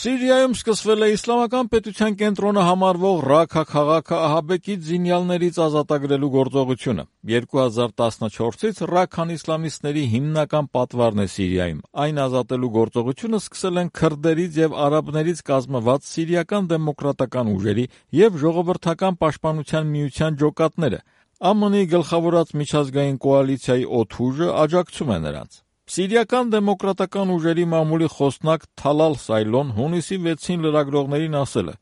Սիրիայում սկսվել է իսլամական պետության կենտրոնը համարվող Ռաքա քաղաքը ահաբեկիչ զինյալներից ազատագրելու գործողությունը։ 2014-ից Ռաքան իսլամիստների հիմնական պատվարն է Սիրիայում։ Այն ազատելու գործողությունը սկսել են քրդերից եւ արաբներից կազմված Սիրիական դեմոկրատական ուժերի եւ Ժողովրդական պաշտպանության միության ջոկատները։ ԱՄՆ-ի գլխավորած միջազգային կոալիցիայի օդուժը աջակցում է նրանց։ Սիրիական դեմոկրատական ուժերի մամուլի խոսնակ Թալալ Սայլոն հունիսի 6-ին լրագրողներին ասել է.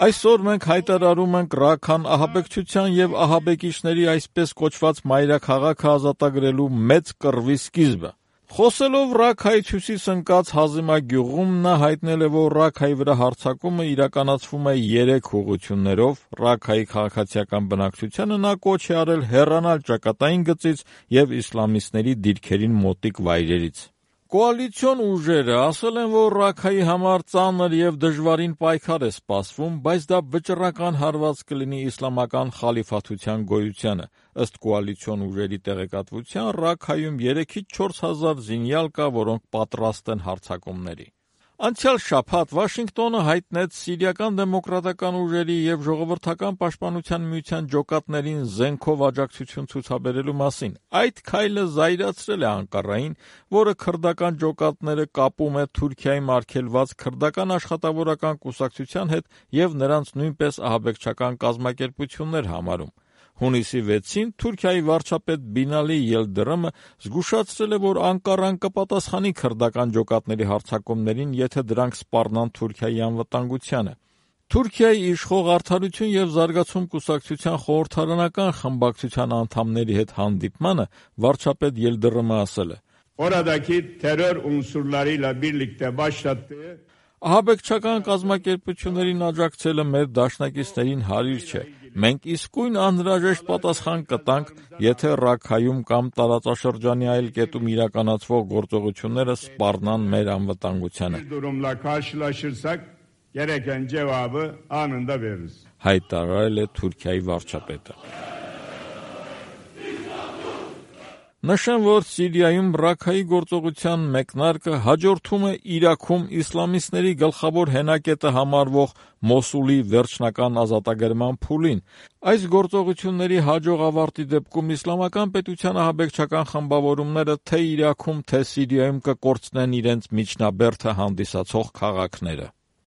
«Այսօր մենք հայտարարում ենք Ռաքան ահաբեկչության եւ ահաբեկիչների այսպես կոչված մայրաքաղաքը ազատագրելու մեծ կռվի սկիզբը»։ Խոսելով Ռաքայից հյուսիս ընկած Հազիմա գյուղում նա հայտնել է, որ Ռաքայի վրա հարձակումը իրականացվում է 3 ուղղություններով։ Ռաքայի քաղաքացիական բնակչությանը նա կոչ է արել հեռանալ ճակատային գծից եւ իսլամիստների դիրքերին մոտիկ վայրերից։ Կոալիցիոն ուժերը ասել են, որ Ռաքայի համար ծանր եւ դժվարին պայքար է սպասվում, բայց դա վճռական հարված կլինի իսլամական խալիֆաթության գոյությանը։ Ըստ կոալիցիոն ուժերի տեղեկատվության, Ռաքայում 3-ից 4 հազար զինյալ կա, որոնք պատրաստ են հարձակումների։ Անցյալ շաբաթ Վաշինգտոնը հայտնեց Սիրիական դեմոկրատական ուժերի եւ Ժողովրդական պաշտպանության միության ջոկատներին զենքով աջակցություն ցուցաբերելու մասին։ Այդ քայլը զայրացրել է Անկարային, որը քրդական ջոկատները կապում է Թուրքիայում արգելված քրդական աշխատավորական կուսակցության հետ եւ նրանց նույնպես ահաբեկչական կազմակերպություններ համարում։ Հունիսի 6-ին Թուրքիայի վարչապետ Բինալի Ելդրըմը զգուշացրել է, որ Անկարան կպատասխանի քրդական ջոկատների հարձակումներին, եթե դրանք սպառնան Թուրքիայի անվտանգությանը։ Թուրքիայի իշխող Արդարություն եւ զարգացում կուսակցության խորհրդարանական խմբակցության անդամների հետ հանդիպմանը վարչապետ Ելդրըմը ասել է. «Oradaki terör unsurlarıyla birlikte başlattığı Ահաբեկչական կազմակերպություններին աջակցելը մեր դաշնակիցներին հարիր չէ։ Մենք իսկույն անհրաժեշտ պատասխան կտանք, եթե Ռաքայում կամ տարածաշրջանի այլ կետում իրականացվող գործողությունները սպառնան մեր անվտանգությանը», gereken cevabı anında veririz. հայտարարել է Թուրքիայի վարչապետը։ Նշեմ, որ Սիրիայում Ռաքայի գործողության մեկնարկը հաջորդում է Իրաքում իսլամիստների գլխավոր հենակետը համարվող Մոսուլի վերջնական ազատագրման փուլին։ Այս գործողությունների հաջող ավարտի դեպքում իսլամական պետության ահաբեկչական խմբավորումները թե Իրաքում, թե Սիրիայում կկորցնեն իրենց միջնաբերդը հանդիսացող քաղաքները։